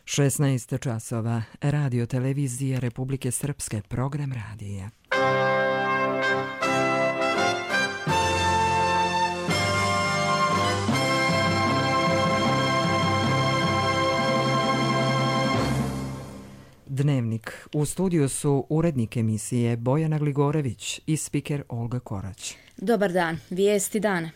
16 časova. Radio televizije Republike Srpske, program radija. Dnevnik. U studiju su urednik emisije Bojana Gligorević i spiker Olga Korać. Dobar dan. Vijesti dana.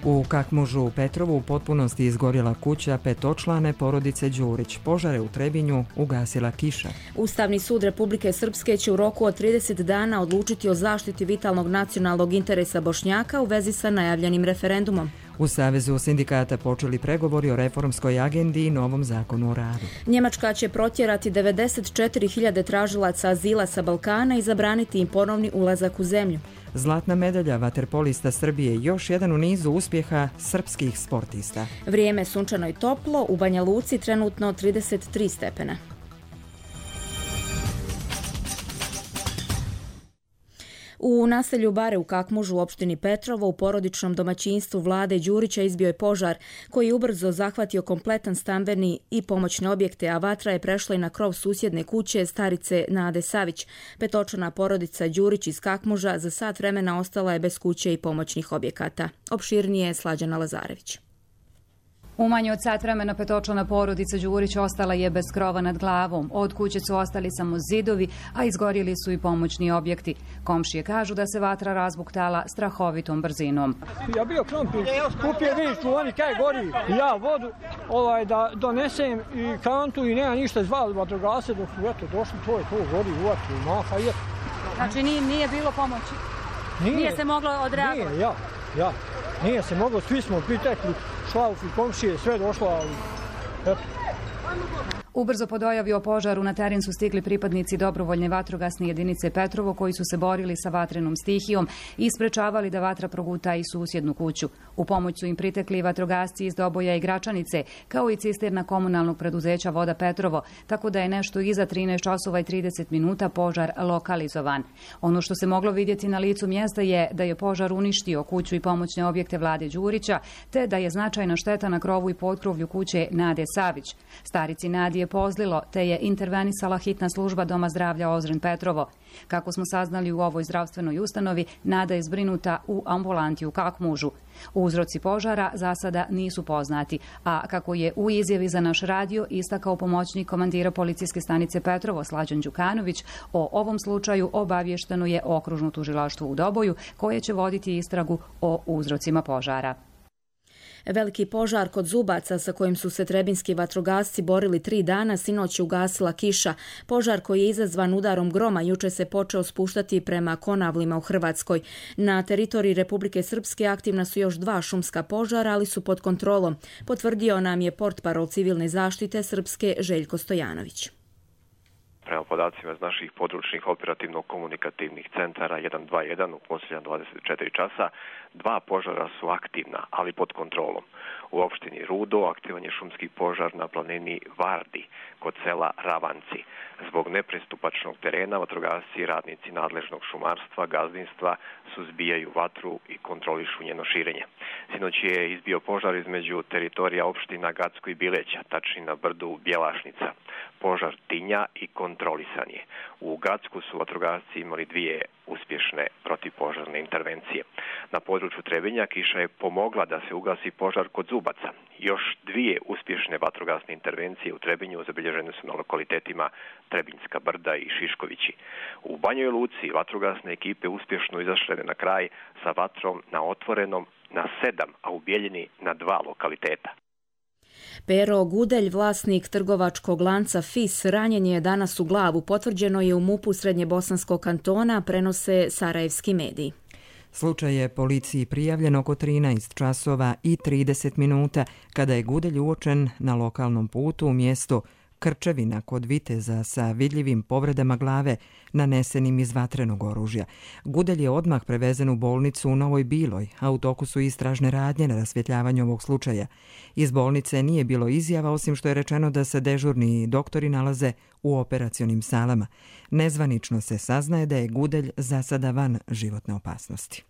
U Kakmužu u Petrovu u potpunosti izgorjela kuća petočlane porodice Đurić. Požare u Trebinju ugasila kiša. Ustavni sud Republike Srpske će u roku od 30 dana odlučiti o zaštiti vitalnog nacionalnog interesa Bošnjaka u vezi sa najavljenim referendumom. U Savezu sindikata počeli pregovori o reformskoj agendi i novom zakonu o radu. Njemačka će protjerati 94.000 tražilaca azila sa Balkana i zabraniti im ponovni ulazak u zemlju. Zlatna medalja vaterpolista Srbije, još jedan u nizu uspjeha srpskih sportista. Vrijeme sunčano i toplo, u Banja Luci trenutno 33 stepena. U naselju Bare u Kakmužu u opštini Petrovo u porodičnom domaćinstvu Vlade Đurića izbio je požar koji je ubrzo zahvatio kompletan stambeni i pomoćne objekte, a vatra je prešla i na krov susjedne kuće starice Nade Savić. Petočlana porodica Đurić iz Kakmuža za sat vremena ostala je bez kuće i pomoćnih objekata. Opširnije je Slađana Lazarević. U manje od sat vremena petočlana porodica Đurić ostala je bez krova nad glavom. Od kuće su ostali samo zidovi, a izgorjeli su i pomoćni objekti. Komšije kažu da se vatra razbuktala strahovitom brzinom. Ja bio krompir, kupio vičku, oni kaj gori, ja vodu da donesem i kantu i nema ništa, zvali vatrogasce dok su došli, to je to, gori u vatru, maha je. Znači nije bilo pomoći? Nije se moglo odreagovati? Nije, nije se moglo, svi smo pritekli, šlauf i komšije, sve došlo, ali eto. Ubrzo po dojavi o požaru na teren su stigli pripadnici dobrovoljne vatrogasne jedinice Petrovo koji su se borili sa vatrenom stihijom i sprečavali da vatra proguta i susjednu kuću. U pomoć su im pritekli vatrogasci iz Doboja i Gračanice, kao i cisterna komunalnog preduzeća Voda Petrovo, tako da je nešto iza 13 časova i 30 minuta požar lokalizovan. Ono što se moglo vidjeti na licu mjesta je da je požar uništio kuću i pomoćne objekte Vlade Đurića, te da je značajna šteta na krovu i potkrovlju kuće Nade Savić. Starici Nadi je pozlilo, te je intervenisala hitna služba Doma zdravlja Ozren Petrovo. Kako smo saznali u ovoj zdravstvenoj ustanovi, Nada je zbrinuta u ambulanti u Kakmužu. Uzroci požara za sada nisu poznati, a kako je u izjavi za naš radio istakao pomoćnik komandira policijske stanice Petrovo Slađan Đukanović, o ovom slučaju obavješteno je okružno tužilaštvo u Doboju koje će voditi istragu o uzrocima požara. Veliki požar kod Zubaca sa kojim su se trebinski vatrogasci borili 3 dana sinoć je ugasila kiša. Požar koji je izazvan udarom groma juče se počeo spuštati prema Konavlima u Hrvatskoj. Na teritoriji Republike Srpske aktivna su još 2 šumska požara, ali su pod kontrolom. Potvrdio nam je portparol civilne zaštite Srpske Željko Stojanović. Prema podacima iz naših područnih operativno-komunikativnih centara 121 u posljednja 24 časa, 2 požara su aktivna, ali pod kontrolom. U opštini Rudo aktivan je šumski požar na planini Vardi kod sela Ravanci. Zbog nepristupačnog terena vatrogasci i radnici nadležnog šumarstva, gazdinstva suzbijaju vatru i kontrolišu njeno širenje. Sinoć je izbio požar između teritorija opština Gacko i Bileća, tačnije na brdu Bjelašnica. Požar tinja i kontrolisan je. U Gacku su vatrogasci imali 2 uspješne protivpožarne intervencije. Na području Trebinja kiša je pomogla da se ugasi požar kod Zubaca. Još 2 uspješne vatrogasne intervencije u Trebinju zabilježene su na lokalitetima Trebinjska brda i Šiškovići. U Banjoj Luci vatrogasne ekipe uspješno izašle na kraj sa vatrom na otvorenom na 7, a u Bijeljini na 2 lokaliteta. Pero Gudelj, vlasnik trgovačkog lanca FIS, ranjen je danas u glavu. Potvrđeno je u MUP-u Srednjebosanskog kantona, prenose sarajevski mediji. Slučaj je policiji prijavljen oko 13 časova i 30 minuta kada je Gudelj uočen na lokalnom putu u mjestu Krčevina kod Viteza sa vidljivim povredama glave nanesenim iz vatrenog oružja. Gudelj je odmah prevezen u bolnicu u Novoj Biloj, a u toku su istražne radnje na rasvjetljavanju ovog slučaja. Iz bolnice nije bilo izjava, osim što je rečeno da se dežurni doktori nalaze u operacionim salama. Nezvanično se saznaje da je Gudelj za sada van životne opasnosti.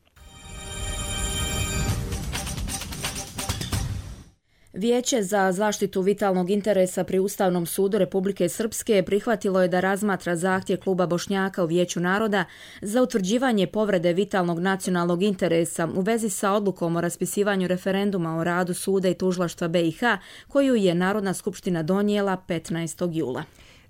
Vijeće za zaštitu vitalnog interesa pri Ustavnom sudu Republike Srpske prihvatilo je da razmatra zahtjev Kluba Bošnjaka u Vijeću naroda za utvrđivanje povrede vitalnog nacionalnog interesa u vezi sa odlukom o raspisivanju referenduma o radu suda i tužilaštva BiH koju je Narodna skupština donijela 15. jula.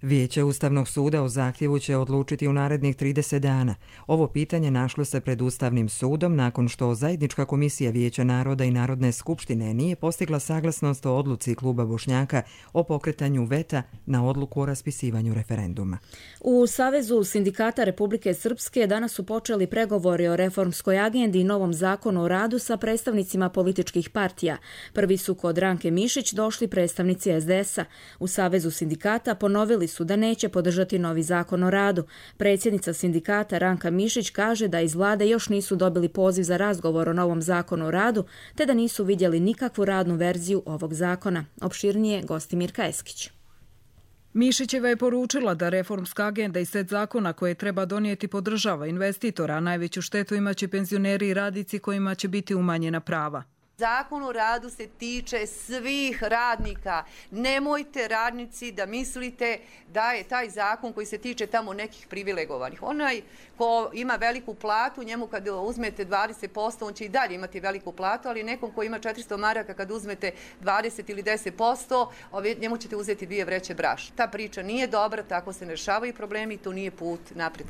Vijeće Ustavnog suda o zahtjevu će odlučiti u narednih 30 dana. Ovo pitanje našlo se pred Ustavnim sudom nakon što Zajednička komisija Vijeća naroda i Narodne skupštine nije postigla saglasnost o odluci Kluba Bošnjaka o pokretanju veta na odluku o raspisivanju referenduma. U Savezu sindikata Republike Srpske danas su počeli pregovori o reformskoj agendi i novom zakonu o radu sa predstavnicima političkih partija. Prvi su kod Ranke Mišić došli predstavnici SDS-a. U Savezu sindikata ponovili su da neće podržati novi zakon o radu. Predsjednica sindikata Ranka Mišić kaže da iz vlade još nisu dobili poziv za razgovor o novom zakonu o radu, te da nisu vidjeli nikakvu radnu verziju ovog zakona. Opširnije Gostimirka Eskić. Mišićeva je poručila da reformska agenda i set zakona koje treba donijeti podržava investitora, a najveću štetu imaće penzioneri i radnici kojima će biti umanjena prava. Zakon o radu se tiče svih radnika. Nemojte radnici da mislite da je taj zakon koji se tiče tamo nekih privilegovanih. Onaj ko ima veliku platu, njemu kad uzmete 20%, on će i dalje imati veliku platu, ali nekom ko ima 400 maraka kad uzmete 20 ili 10%, njemu ćete uzeti 2 vreće brašna. Ta priča nije dobra, tako se ne rješavaju problemi i to nije put naprijed.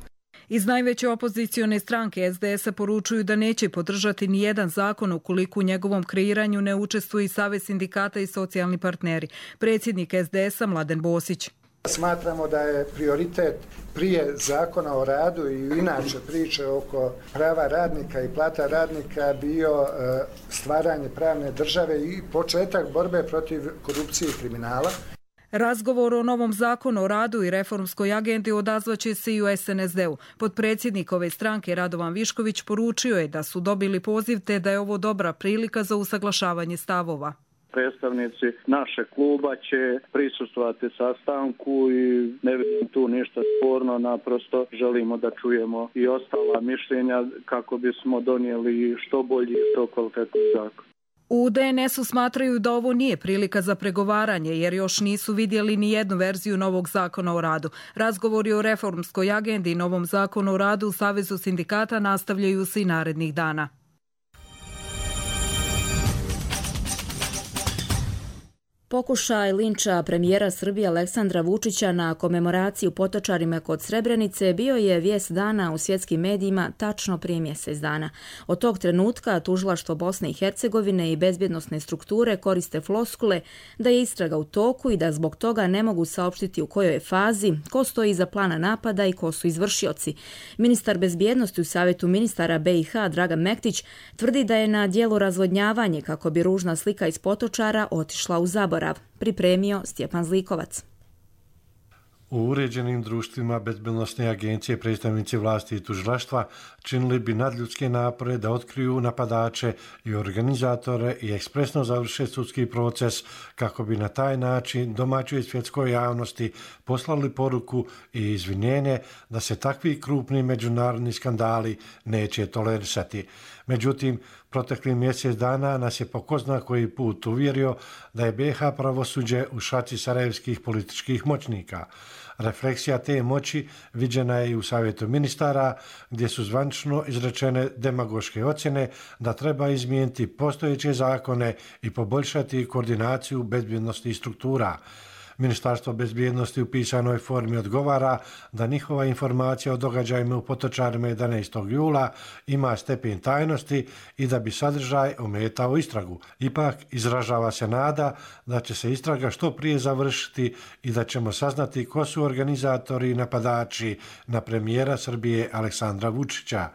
Iz najveće opozicione stranke SDS-a poručuju da neće podržati ni jedan zakon ukoliko u njegovom kreiranju ne učestvuju i Savez sindikata i socijalni partneri. Predsjednik SDS-a Mladen Bosić. Smatramo da je prioritet prije zakona o radu i inače priče oko prava radnika i plata radnika bio stvaranje pravne države i početak borbe protiv korupcije i kriminala. Razgovor o novom zakonu o radu i reformskoj agendi odazvaće se i u SNSD-u. Potpredsjednik ove stranke Radovan Višković poručio je da su dobili poziv te da je ovo dobra prilika za usaglašavanje stavova. Predstavnici našeg kluba će prisustvovati sastanku i ne vidim tu ništa sporno, naprosto želimo da čujemo i ostala mišljenja kako bismo donijeli što bolji i što kvalitetni zakon. U DNS-u smatraju da ovo nije prilika za pregovaranje jer još nisu vidjeli ni jednu verziju novog zakona o radu. Razgovori o reformskoj agendi i novom zakonu o radu u Savezu sindikata nastavljaju se i narednih dana. Pokušaj linča premijera Srbije Aleksandra Vučića na komemoraciju potočarima kod Srebrenice bio je vijest dana u svjetskim medijima tačno prije mjesec dana. Od tog trenutka tužilaštvo Bosne i Hercegovine i bezbjednosne strukture koriste floskule da je istraga u toku i da zbog toga ne mogu saopštiti u kojoj je fazi, ko stoji iza plana napada i ko su izvršioci. Ministar bezbjednosti u Savjetu ministara BiH Dragan Mektić tvrdi da je na djelu razvodnjavanje kako bi ružna slika iz potočara otišla u zaborav. Pripremio Stjepan Zlikovac. U uređenim društvima bezbednosne agencije predstavnici vlasti i tužilaštva činili bi nadljudske napore da otkriju napadače i organizatore i ekspresno završe sudski proces kako bi na taj način domaćoj i svjetskoj javnosti poslali poruku i izvinjenje da se takvi krupni međunarodni skandali neće tolerisati. Međutim, protekli mjesec dana nas je po ko zna koji put uvjerio da je BiH pravosuđe u šaci sarajevskih političkih moćnika. Refleksija te moći viđena je i u Savjetu ministara, gdje su zvanično izrečene demagoške ocjene da treba izmijeniti postojeće zakone i poboljšati koordinaciju bezbjednosnih struktura. Ministarstvo bezbjednosti u pisanoj formi odgovara da njihova informacija o događajima u potočarima 11. jula ima stepen tajnosti i da bi sadržaj ometao istragu. Ipak izražava se nada da će se istraga što prije završiti i da ćemo saznati ko su organizatori i napadači na premijera Srbije Aleksandra Vučića.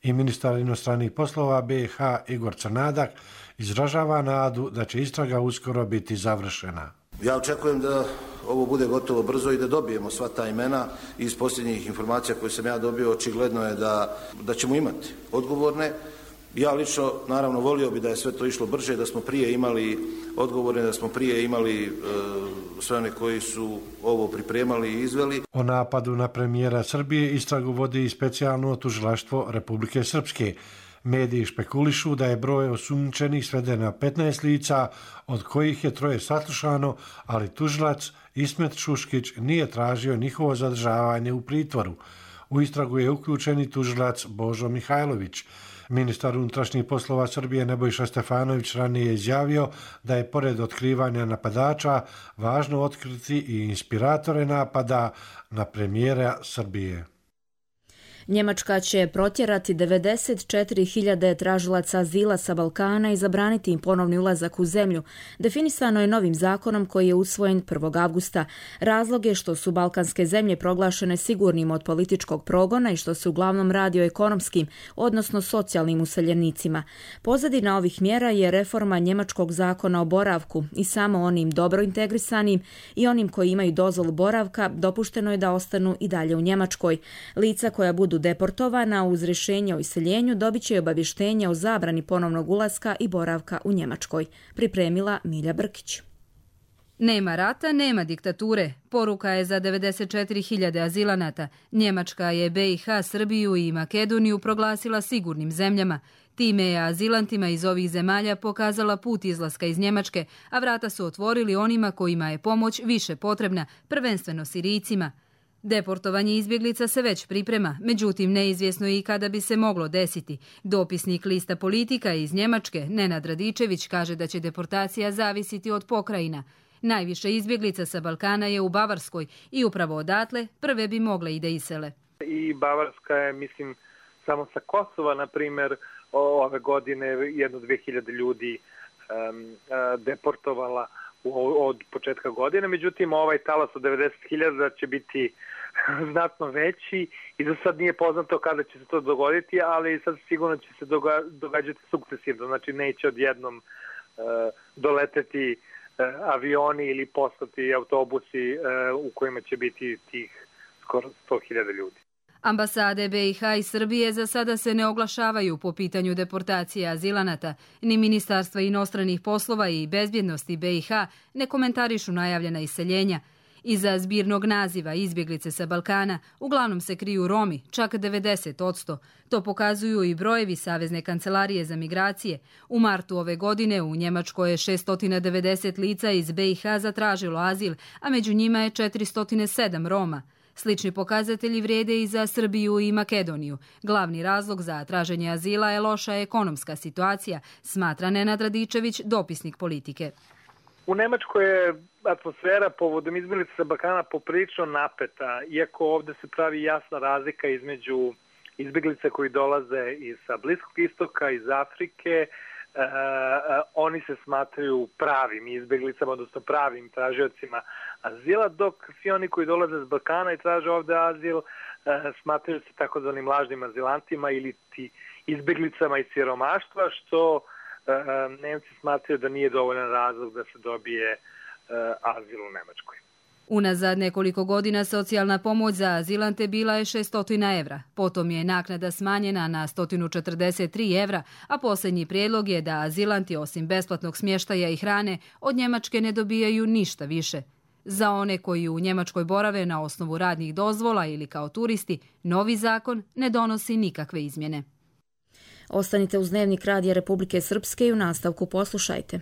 I ministar inostranih poslova BiH Igor Crnadak izražava nadu da će istraga uskoro biti završena. Ja očekujem da ovo bude gotovo brzo i da dobijemo sva ta imena. Iz posljednjih informacija koje sam ja dobio očigledno je da ćemo imati odgovorne. Ja lično naravno volio bi da je sve to išlo brže, da smo prije imali odgovore, da smo prije imali sve one koji su ovo pripremali i izveli. O napadu na premijera Srbije istragu vodi i specijalno tužilaštvo Republike Srpske. Mediji špekulišu da je broj osumnjičenih sveden na 15 lica, od kojih je 3 saslušano, ali tužilac Ismet Šuškić nije tražio njihovo zadržavanje u pritvoru. U istragu je uključen i tužilac Božo Mihajlović. Ministar unutrašnjih poslova Srbije Nebojša Stefanović ranije izjavio da je pored otkrivanja napadača važno otkriti i inspiratore napada na premijera Srbije. Njemačka će protjerati 94.000 tražilaca azila sa Balkana i zabraniti im ponovni ulazak u zemlju. Definisano je novim zakonom koji je usvojen 1. avgusta. Razlog je što su balkanske zemlje proglašene sigurnim od političkog progona i što se uglavnom radi o ekonomskim, odnosno socijalnim useljenicima. Pozadina ovih mjera je reforma njemačkog zakona o boravku i samo onim dobro integrisanim i onim koji imaju dozvolu boravka dopušteno je da ostanu i dalje u Njemačkoj. Lica koja budu deportovana uz rješenje o iseljenju dobit će obavještenje o zabrani ponovnog ulaska i boravka u Njemačkoj, pripremila Milja Brkić. Nema rata, nema diktature. Poruka je za 94.000 azilanata. Njemačka je BiH, Srbiju i Makedoniju proglasila sigurnim zemljama. Time je azilantima iz ovih zemalja pokazala put izlaska iz Njemačke, a vrata su otvorili onima kojima je pomoć više potrebna, prvenstveno Sirijcima. Deportovanje izbjeglica se već priprema, međutim neizvjesno je i kada bi se moglo desiti. Dopisnik lista Politika iz Njemačke, Nenad Radičević, kaže da će deportacija zavisiti od pokrajina. Najviše izbjeglica sa Balkana je u Bavarskoj i upravo odatle prve bi mogle i da isele. I Bavarska je, mislim, samo sa Kosova, na primjer, ove godine 1-2 ljudi deportovala od početka godine. Međutim, ovaj talas od 90.000 će biti znatno veći i za sad nije poznato kada će se to dogoditi, ali sad sigurno će se događati sukcesivno. Znači, neće odjednom doleteti avioni ili postati autobusi u kojima će biti tih skoro 100.000 ljudi. Ambasade BiH i Srbije za sada se ne oglašavaju po pitanju deportacije azilanata, ni Ministarstva inostranih poslova i bezbjednosti BiH ne komentarišu najavljena iseljenja. Iza zbirnog naziva izbjeglice sa Balkana uglavnom se kriju Romi, čak 90%. To pokazuju i brojevi Savezne kancelarije za migracije. U martu ove godine u Njemačkoj je 690 lica iz BiH zatražilo azil, a među njima je 407 Roma. Slični pokazatelji vrijede i za Srbiju i Makedoniju. Glavni razlog za traženje azila je loša ekonomska situacija, smatra Nenad Radičević, dopisnik Politike. U Nemačkoj je atmosfera povodom izbjeglica sa Balkana poprilično napeta, iako ovdje se pravi jasna razlika između izbjeglica koji dolaze iz Bliskog istoka, iz Afrike. Oni se smatraju pravim izbjeglicama, odnosno pravim tražiocima azila, dok svi oni koji dolaze iz Balkana i traže ovdje azil smatraju se takozvanim lažnim azilantima ili ti izbjeglicama iz siromaštva, što Nemci smatraju da nije dovoljan razlog da se dobije azil u Nemačkoj. Unazad nekoliko godina socijalna pomoć za azilante bila je 600 evra. Potom je naknada smanjena na 143 evra, a posljednji prijedlog je da azilanti osim besplatnog smještaja i hrane od Njemačke ne dobijaju ništa više. Za one koji u Njemačkoj borave na osnovu radnih dozvola ili kao turisti, novi zakon ne donosi nikakve izmjene. Ostanite uz Dnevnik Radija Republike Srpske i u nastavku poslušajte.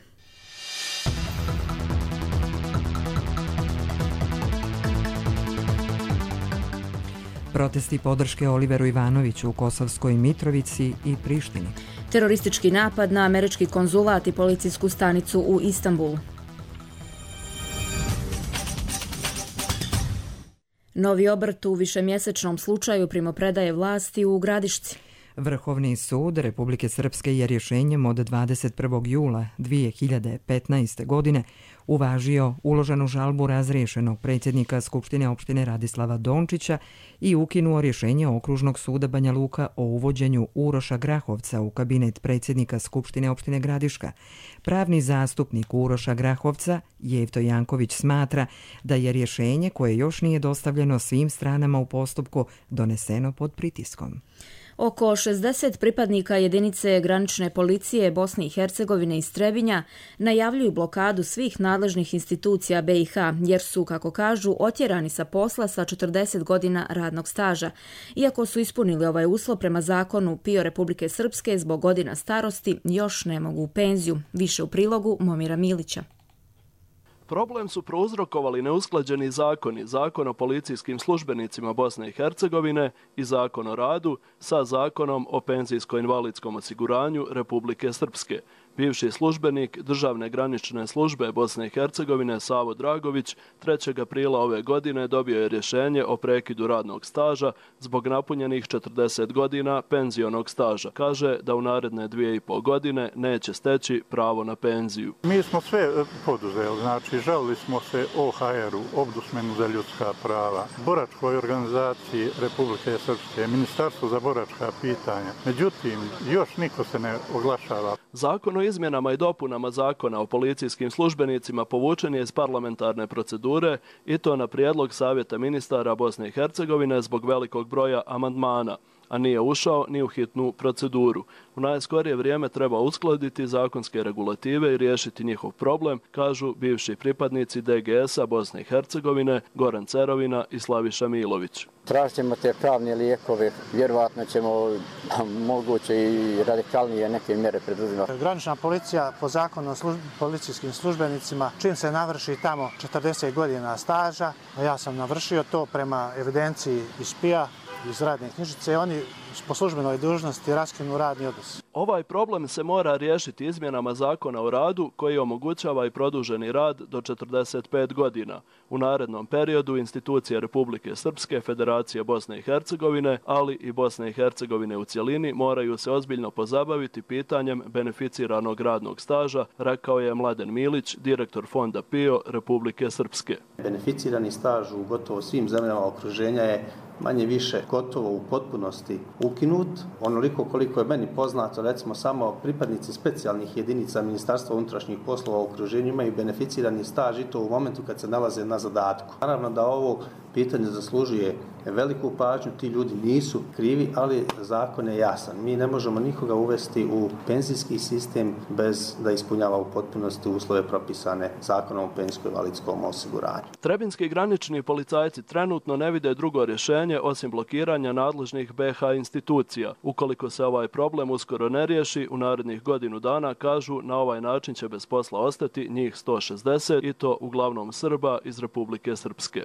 Protesti podrške Oliveru Ivanoviću u Kosovskoj Mitrovici i Prištini. Teroristički napad na američki konzulat i policijsku stanicu u Istanbulu. Novi obrt u višemjesečnom slučaju primopredaje vlasti u Gradišci. Vrhovni sud Republike Srpske je rješenjem od 21. jula 2015. godine uvažio uloženu žalbu razriješenog predsjednika Skupštine opštine Radislava Dončića i ukinuo rješenje Okružnog suda Banja Luka o uvođenju Uroša Grahovca u kabinet predsjednika Skupštine opštine Gradiška. Pravni zastupnik Uroša Grahovca, Jevto Janković, smatra da je rješenje koje još nije dostavljeno svim stranama u postupku doneseno pod pritiskom. Oko 60 pripadnika jedinice granične policije Bosne i Hercegovine iz Trebinja najavljuju blokadu svih nadležnih institucija BiH jer su, kako kažu, otjerani sa posla sa 40 godina radnog staža. Iako su ispunili ovaj uslov prema zakonu PIO Republike Srpske, zbog godina starosti još ne mogu u penziju. Više u prilogu Momira Milića. Problem su prouzrokovali neusklađeni zakoni, Zakon o policijskim službenicima Bosne i Hercegovine i Zakon o radu sa Zakonom o penzijsko-invalidskom osiguranju Republike Srpske. Bivši službenik Državne granične službe Bosne i Hercegovine Savo Dragović 3. aprila ove godine dobio je rješenje o prekidu radnog staža zbog napunjenih 40 godina penzionog staža. Kaže da u naredne 2,5 godine neće steći pravo na penziju. Mi smo sve poduzeli, znači žalili smo se OHR-u, Ombudsmanu za ljudska prava, boračkoj organizaciji Republike Srpske, Ministarstvu za boračka pitanja. Međutim, još niko se ne oglašava. Zakon o izmjenama i dopunama Zakona o policijskim službenicima povučen je iz parlamentarne procedure i to na prijedlog Savjeta ministara Bosne i Hercegovine zbog velikog broja amandmana, a nije ušao ni u hitnu proceduru. U najskorije vrijeme treba uskladiti zakonske regulative i riješiti njihov problem, kažu bivši pripadnici DGS-a Bosne i Hercegovine Goran Cerovina i Slaviša Milović. Tražit ćemo te pravne lijekove, vjerovatno ćemo moguće i radikalnije neke mjere preduzimati. Granična policija po zakonu o policijskim službenicima, čim se navrši tamo 40 godina staža, a ja sam navršio to prema evidenciji iz PIA, iz radne knjižice, oni po službenoj dužnosti raskinu radni odnos. Ovaj problem se mora riješiti izmjenama Zakona o radu koji omogućava i produženi rad do 45 godina. U narednom periodu institucije Republike Srpske, Federacije Bosne i Hercegovine, ali i Bosne i Hercegovine u cjelini moraju se ozbiljno pozabaviti pitanjem beneficiranog radnog staža, rekao je Mladen Milić, direktor fonda PIO Republike Srpske. Beneficirani staž u gotovo svim zemljama okruženja je manje više gotovo u potpunosti ukinut. Onoliko koliko je meni poznato, recimo samo pripadnici specijalnih jedinica Ministarstva unutrašnjih poslova u okruženju imaju beneficirani staž i to u momentu kad se nalaze na zadatku. Naravno da ovo pitanje zaslužuje veliku pažnju, ti ljudi nisu krivi, ali zakon je jasan. Mi ne možemo nikoga uvesti u penzijski sistem bez da ispunjava u potpunosti uslove propisane Zakonom o penzijsko-invalidskom osiguranju. Trebinski granični policajci trenutno ne vide drugo rješenje osim blokiranja nadležnih BiH institucija. Ukoliko se ovaj problem uskoro ne riješi, u narednih godinu dana, kažu, na ovaj način će bez posla ostati njih 160 i to uglavnom Srba iz Republike Srpske.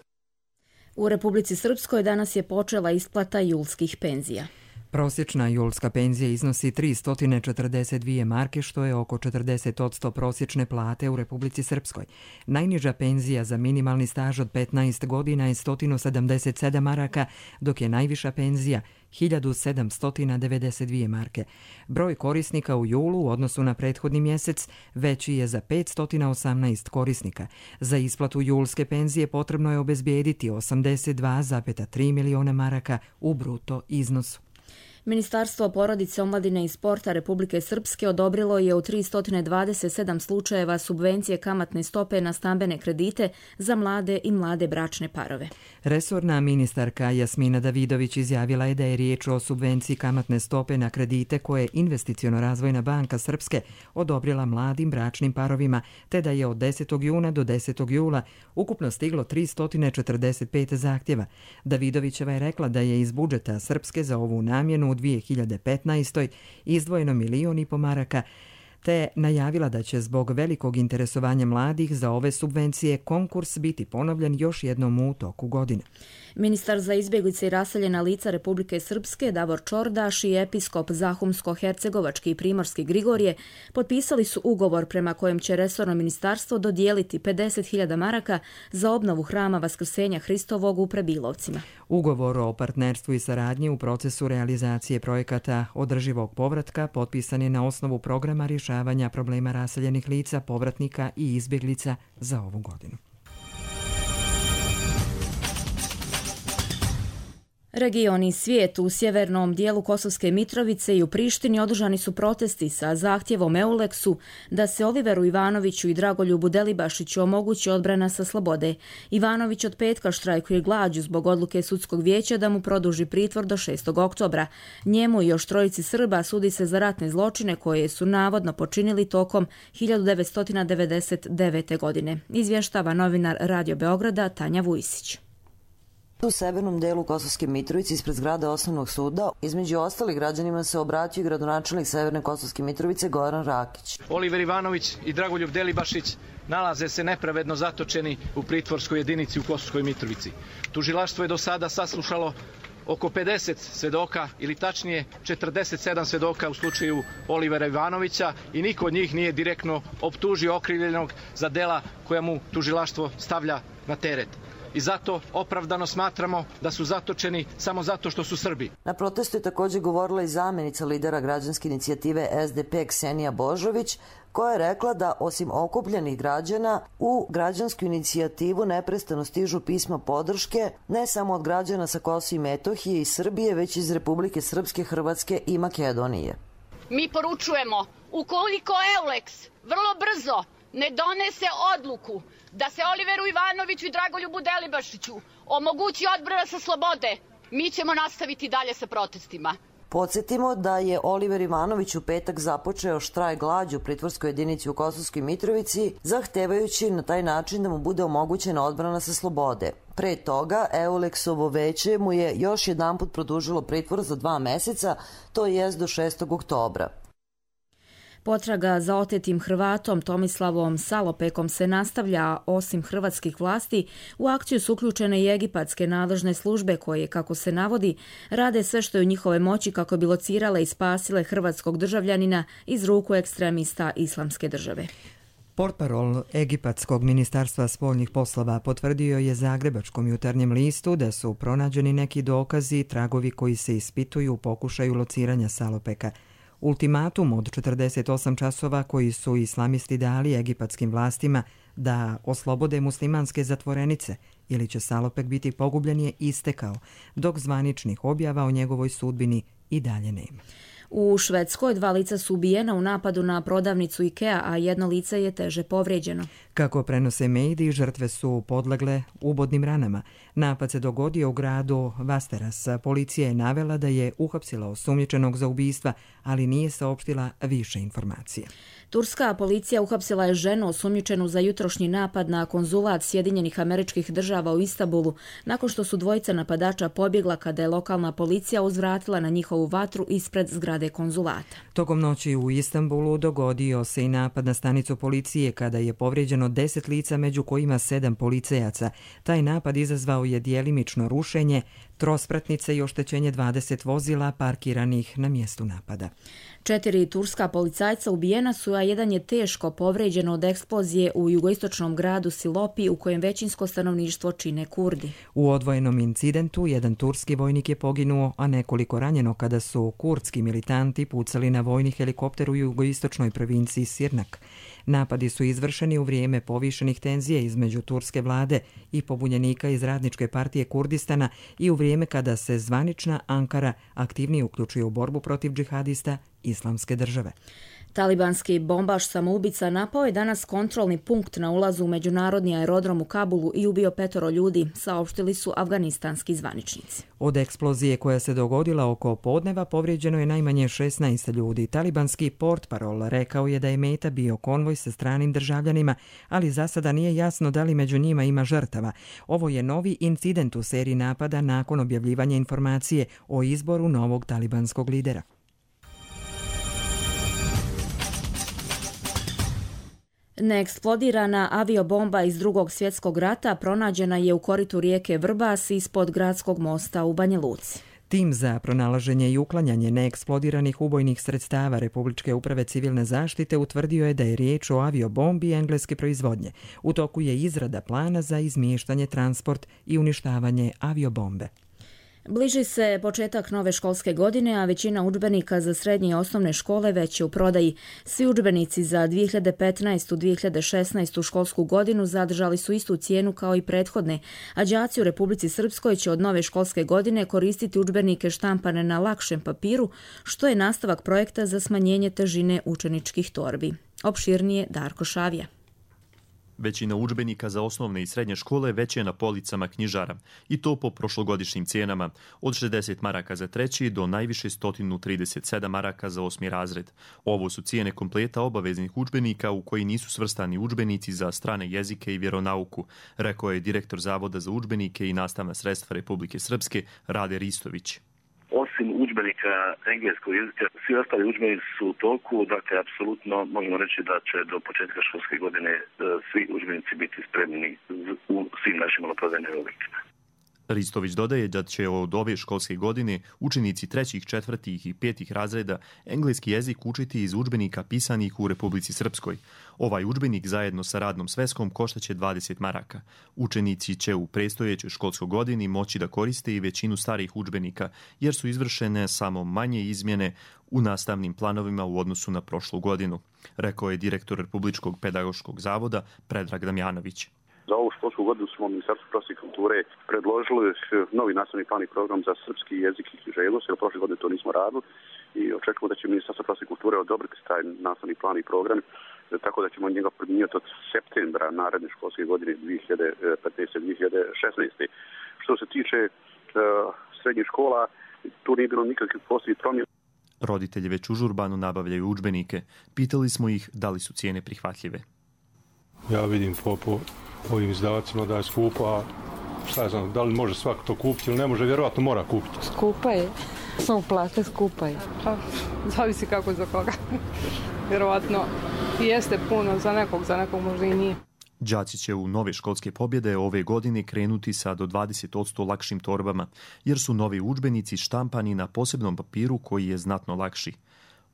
U Republici Srpskoj danas je počela isplata julskih penzija. Prosječna julska penzija iznosi 342 marke, što je oko 40% prosječne plate u Republici Srpskoj. Najniža penzija za minimalni staž od 15 godina je 177 maraka, dok je najviša penzija 1792 marke. Broj korisnika u julu u odnosu na prethodni mjesec veći je za 518 korisnika. Za isplatu julske penzije potrebno je obezbijediti 82,3 miliona maraka u bruto iznosu. Ministarstvo porodice, omladine i sporta Republike Srpske odobrilo je u 327 slučajeva subvencije kamatne stope na stambene kredite za mlade i mlade bračne parove. Resorna ministarka Jasmina Davidović izjavila je da je riječ o subvenciji kamatne stope na kredite koje Investiciono-razvojna banka Srpske odobrila mladim bračnim parovima, te da je od 10. juna do 10. jula ukupno stiglo 345 zahtjeva. Davidovićeva je rekla da je iz budžeta Srpske za ovu namjenu u 2015. izdvojeno 1,5 miliona maraka, te najavila da će zbog velikog interesovanja mladih za ove subvencije konkurs biti ponovljen još jednom u toku godine. Ministar za izbjeglice i raseljena lica Republike Srpske Davor Čordaš i episkop Zahumsko-hercegovački i primorski Grigorije potpisali su ugovor prema kojem će resorno ministarstvo dodijeliti 50.000 maraka za obnovu hrama Vaskrsenja Hristovog u Prebilovcima. Ugovor o partnerstvu i saradnji u procesu realizacije projekata održivog povratka potpisan je na osnovu programa rješavanja problema raseljenih lica, povratnika i izbjeglica za ovu godinu. Region i svijet u sjevernom dijelu Kosovske Mitrovice i u Prištini održani su protesti sa zahtjevom Euleksu da se Oliveru Ivanoviću i Dragoljubu Delibašiću omogući odbrana sa slobode. Ivanović od petka štrajkuje glađu zbog odluke sudskog vijeća da mu produži pritvor do 6. oktobra. Njemu i još trojici Srba sudi se za ratne zločine koje su navodno počinili tokom 1999. godine. Izvještava novinar Radio Beograda Tanja Vujsić. U severnom delu Kosovske Mitrovice ispred zgrade Osnovnog suda, između ostalih građanima se obratio gradonačelnik Severne Kosovske Mitrovice Goran Rakić. Oliver Ivanović i Dragoljub Delibašić nalaze se nepravedno zatočeni u pritvorskoj jedinici u Kosovskoj Mitrovici. Tužilaštvo je do sada saslušalo oko 50 svedoka ili tačnije 47 svedoka u slučaju Olivera Ivanovića i niko od njih nije direktno optužio okrivljenog za dela koja mu tužilaštvo stavlja na teret. I zato opravdano smatramo da su zatočeni samo zato što su Srbi. Na protestu je također govorila i zamjenica lidera građanske inicijative SDP Ksenija Božović, koja je rekla da osim okupljenih građana u građansku inicijativu neprestano stižu pisma podrške ne samo od građana sa Kosova i Metohije i Srbije, već iz Republike Srpske, Hrvatske i Makedonije. Mi poručujemo, ukoliko Euleks vrlo brzo ne donese odluku da se Oliveru Ivanoviću i Dragoljubu Delibašiću omogući odbrana sa slobode, mi ćemo nastaviti dalje sa protestima. Podsjetimo da je Oliver Ivanović u petak započeo štrajk glađu u pritvorskoj jedinici u Kosovskoj Mitrovici, zahtevajući na taj način da mu bude omogućena odbrana sa slobode. Pre toga, Euleksovo veće mu je još jedanput produžilo pritvor za 2 meseca, to jest do 6. oktobra. Potraga za otetim Hrvatom Tomislavom Salopekom se nastavlja, osim hrvatskih vlasti. U akciju su uključene i egipatske nadležne službe koje, kako se navodi, rade sve što je u njihove moći kako bi locirale i spasile hrvatskog državljanina iz ruku ekstremista Islamske države. Portparol Egipatskog ministarstva spoljnih poslova potvrdio je Zagrebačkom jutarnjem listu da su pronađeni neki dokazi i tragovi koji se ispituju u pokušaju lociranja Salopeka. Ultimatum od 48 časova koji su islamisti dali egipatskim vlastima da oslobode muslimanske zatvorenice ili će Salopek biti pogubljen je istekao, dok zvaničnih objava o njegovoj sudbini i dalje nema. U Švedskoj 2 lica su ubijena u napadu na prodavnicu IKEA, a 1 lice je teže povrijeđeno. Kako prenose mediji, žrtve su podlegle ubodnim ranama. Napad se dogodio u gradu Vasteras. Policija je navela da je uhapsila osumnjičenog za ubistva, ali nije saopštila više informacije. Turska policija uhapsila je ženu osumnjičenu za jutrošnji napad na konzulat Sjedinjenih Američkih Država u Istanbulu, nakon što su dvojica napadača pobjegla kada je lokalna policija uzvratila na njihovu vatru ispred zgrade konzulata. Tokom noći u Istanbulu dogodio se i napad na stanicu policije kada je povrijeđeno 10 lica, među kojima 7 policajaca. Taj napad izazvao je djelimično rušenje trospratnice i oštećenje 20 vozila parkiranih na mjestu napada. 4 turska policajca ubijena su, a 1 je teško povrijeđen od eksplozije u jugoistočnom gradu Silopi u kojem većinsko stanovništvo čine Kurdi. U odvojenom incidentu 1 turski vojnik je poginuo, a nekoliko ranjeno kada su kurdski militanti pucali na vojni helikopter u jugoistočnoj provinciji Sirnak. Napadi su izvršeni u vrijeme povišenih tenzija između turske vlade i pobunjenika iz Radničke partije Kurdistana i u vrijeme kada se zvanična Ankara aktivnije uključuje u borbu protiv džihadista Islamske države. Talibanski bombaš samoubica napao je danas kontrolni punkt na ulazu u međunarodni aerodrom u Kabulu i ubio 5 ljudi, saopštili su afganistanski zvaničnici. Od eksplozije koja se dogodila oko podneva povrijeđeno je najmanje 16 ljudi. Talibanski portparol rekao je da je meta bio konvoj sa stranim državljanima, ali za sada nije jasno da li među njima ima žrtava. Ovo je novi incident u seriji napada nakon objavljivanja informacije o izboru novog talibanskog lidera. Neeksplodirana aviobomba iz Drugog svjetskog rata pronađena je u koritu rijeke Vrbas ispod gradskog mosta u Banja Luci. Tim za pronalaženje i uklanjanje neeksplodiranih ubojnih sredstava Republičke uprave civilne zaštite utvrdio je da je riječ o aviobombi engleske proizvodnje. U toku je izrada plana za izmještanje, transport i uništavanje aviobombe. Bliži se početak nove školske godine, a većina udžbenika za srednje i osnovne škole već je u prodaji. Svi udžbenici za 2015-2016 školsku godinu zadržali su istu cijenu kao i prethodne, a đaci u Republici Srpskoj će od nove školske godine koristiti udžbenike štampane na lakšem papiru, što je nastavak projekta za smanjenje težine učeničkih torbi. Opširnije Darko Šavija. Većina udžbenika za osnovne i srednje škole već je na policama knjižara, i to po prošlogodišnjim cijenama, od 60 maraka za treći do najviše 137 maraka za 8. razred. Ovo su cijene kompleta obaveznih udžbenika u koji nisu svrstani udžbenici za strane jezike i vjeronauku, rekao je direktor Zavoda za udžbenike i nastavna sredstva Republike Srpske Rade Ristović. Osim udžbenika engleskog jezika, svi ostali udžbenici su u toku, dakle, apsolutno možemo reći da će do početka školske godine svi udžbenici biti spremni u svim našim maloprodajnim objektima. Ristović dodaje da će od ove školske godine učenici 3., 4. i 5. razreda engleski jezik učiti iz udžbenika pisanih u Republici Srpskoj. Ovaj udžbenik zajedno sa radnom sveskom koštaće 20 maraka. Učenici će u predstojećoj školskoj godini moći da koriste i većinu starih udžbenika, jer su izvršene samo manje izmjene u nastavnim planovima u odnosu na prošlu godinu, rekao je direktor Republičkog pedagoškog zavoda Predrag Damjanović. Za ovu školsku godinu smo u Ministarstvu prosvjete i kulture predložili novi nastavni plan i program za srpski jezik i književnost, jer prošle godine to nismo radili i očekujemo da će Ministarstvo prosvjete i kulture odobriti taj nastavni plan i program, tako da ćemo njega primjenjivati od septembra naredne školske godine 2015-2016. Što se tiče srednjih škola, tu nije bilo nikakvih posljednjih promjena. Roditelji već užurbano nabavljaju udžbenike. Pitali smo ih da li su cijene prihvatljive. Ja vidim po ovim izdavacima da je skupo, a šta je znam, da li može svako to kupiti ili ne može, vjerovatno mora kupiti. Skupa je, samo plate skupa je. Zavisi kako za koga. Vjerovatno jeste puno za nekog možda i nije. Đaci će u nove školske pobjede ove godine krenuti sa do 20% lakšim torbama, jer su novi udžbenici štampani na posebnom papiru koji je znatno lakši.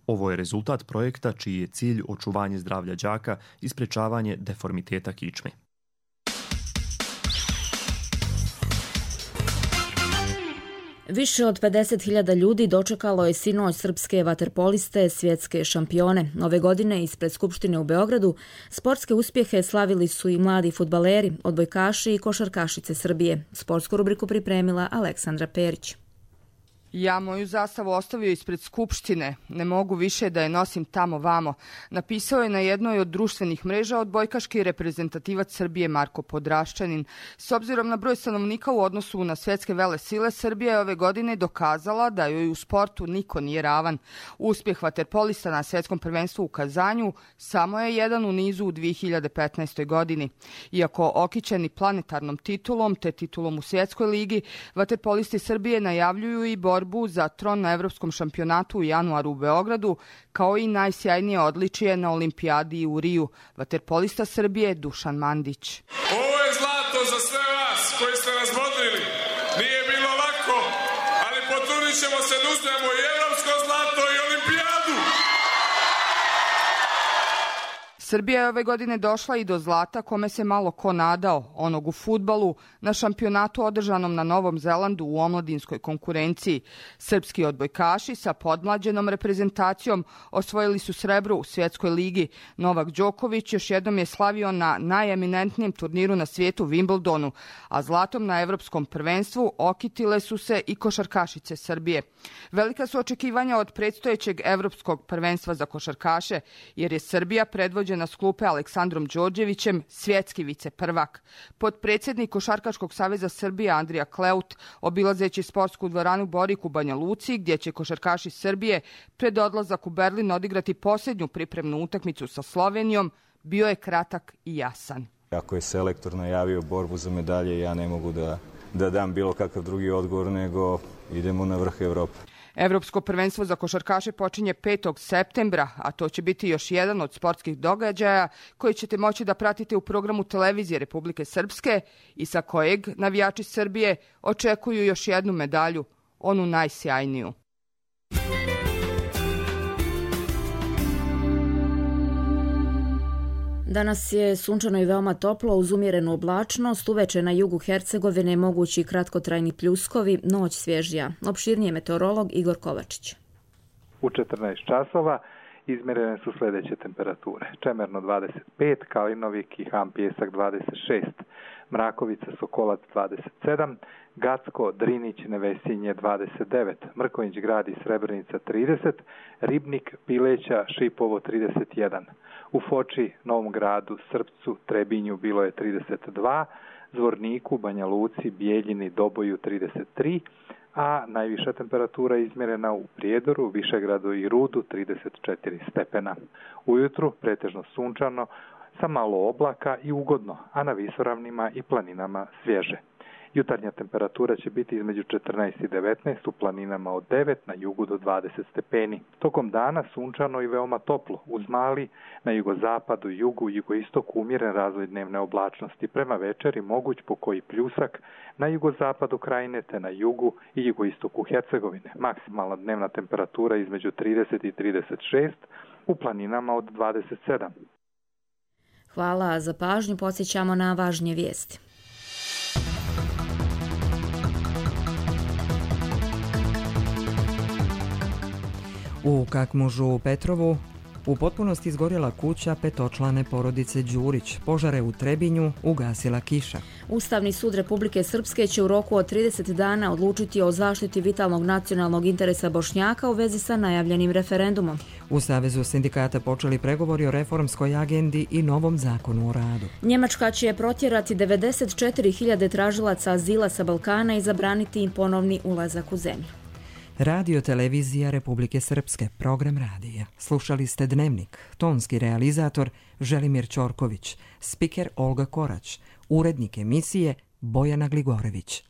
Ovo je rezultat projekta čiji je cilj očuvanje zdravlja đaka i sprečavanje deformiteta kičme. Više od 50.000 ljudi dočekalo je sinoć srpske vaterpoliste, svjetske šampione. Ove godine ispred Skupštine u Beogradu sportske uspjehe slavili su i mladi fudbaleri, odbojkaši i košarkašice Srbije. Sportsku rubriku pripremila Aleksandra Perić. Ja moju zastavu ostavio ispred Skupštine, ne mogu više da je nosim tamo vamo, napisao je na jednoj od društvenih mreža odbojkaški reprezentativac Srbije Marko Podraščanin. S obzirom na broj stanovnika u odnosu na svjetske velesile, Srbija je ove godine dokazala da joj u sportu niko nije ravan. Uspjeh vaterpolista na svjetskom prvenstvu u Kazanju samo je jedan u nizu u 2015. godini. Iako okićeni planetarnom titulom te titulom u svjetskoj ligi, vaterpolisti Srbije najavljuju i borbu za tron na Evropskom šampionatu u januaru u Beogradu, kao i najsjajnije odličije na olimpijadi u Riju. Vaterpolista Srbije Dušan Mandić. Ovo je zlato za sve vas koji ste nas bodrili. Nije bilo lako, ali potrudit ćemo se da uzmemo i evropsko zlato i olimpijadu. Srbija je ove godine došla i do zlata kome se malo ko nadao, onog u fudbalu, na šampionatu održanom na Novom Zelandu u omladinskoj konkurenciji. Srpski odbojkaši sa podmlađenom reprezentacijom osvojili su srebro u svjetskoj ligi. Novak Đoković još jednom je slavio na najeminentnijem turniru na svijetu Wimbledonu, a zlatom na Evropskom prvenstvu okitile su se i košarkašice Srbije. Velika su očekivanja od predstojećeg Evropskog prvenstva za košarkaše, jer je Srbija predvođena s klupe Aleksandrom Đorđevićem svjetski viceprvak. Potpredsjednik Košarkaškog saveza Srbije Andrija Kleut, obilazeći sportsku dvoranu Borik u Banja Luci, gdje će košarkaši Srbije pred odlazak u Berlin odigrati posljednju pripremnu utakmicu sa Slovenijom, bio je kratak i jasan. Ako je selektor najavio borbu za medalje, ja ne mogu da dam bilo kakav drugi odgovor, nego idemo na vrh Evrope. Evropsko prvenstvo za košarkaše počinje 5. septembra, a to će biti još jedan od sportskih događaja koji ćete moći da pratite u programu televizije Republike Srpske i sa kojeg navijači Srbije očekuju još jednu medalju, onu najsjajniju. Danas je sunčano i veoma toplo uz umjerenu oblačnost. Uveče na jugu Hercegovine mogući kratkotrajni pljuskovi, noć svježija. Opširnije meteorolog Igor Kovačić. U 14 časova izmjerene su sljedeće temperature. Čemerno 25, Kalinovik i Ham Pjesak 26, Mrakovica Sokolac 27, Gacko, Drinić, Nevesinje 29, Mrkonjić Grad i Srebrenica 30, Ribnik, Pileća, Šipovo 31. U Foči, Novom Gradu, Srpcu, Trebinju bilo je 32, Zvorniku, Banja Luci, Bijeljini, Doboju 33, a najviša temperatura izmjerena u Prijedoru, Višegradu i Rudu 34 stepena. Ujutru pretežno sunčano, sa malo oblaka i ugodno, a na visoravnima i planinama svježe. Jutarnja temperatura će biti između 14 i 19, u planinama od 9, na jugu do 20 stepeni. Tokom dana sunčano i veoma toplo, uz mali na jugozapadu, jugu i jugoistoku umjeren razvoj dnevne oblačnosti. Prema večeri moguć pokoji pljusak na jugozapadu krajine te na jugu i jugoistoku Hercegovine. Maksimalna dnevna temperatura između 30 i 36, u planinama od 27. Hvala za pažnju, podsjećamo na važnije vijesti. U Kakmužu u Petrovu u potpunosti izgorjela kuća petočlane porodice Đurić. Požare u Trebinju ugasila kiša. Ustavni sud Republike Srpske će u roku od 30 dana odlučiti o zaštiti vitalnog nacionalnog interesa Bošnjaka u vezi sa najavljenim referendumom. U Savezu sindikata počeli pregovori o reformskoj agendi i novom zakonu o radu. Njemačka će protjerati 94.000 tražilaca azila sa Balkana i zabraniti im ponovni ulazak u zemlju. Radio Televizija Republike Srpske, program radija. Slušali ste Dnevnik, tonski realizator Želimir Ćorković, spiker Olga Korać, urednik emisije Bojana Gligorević.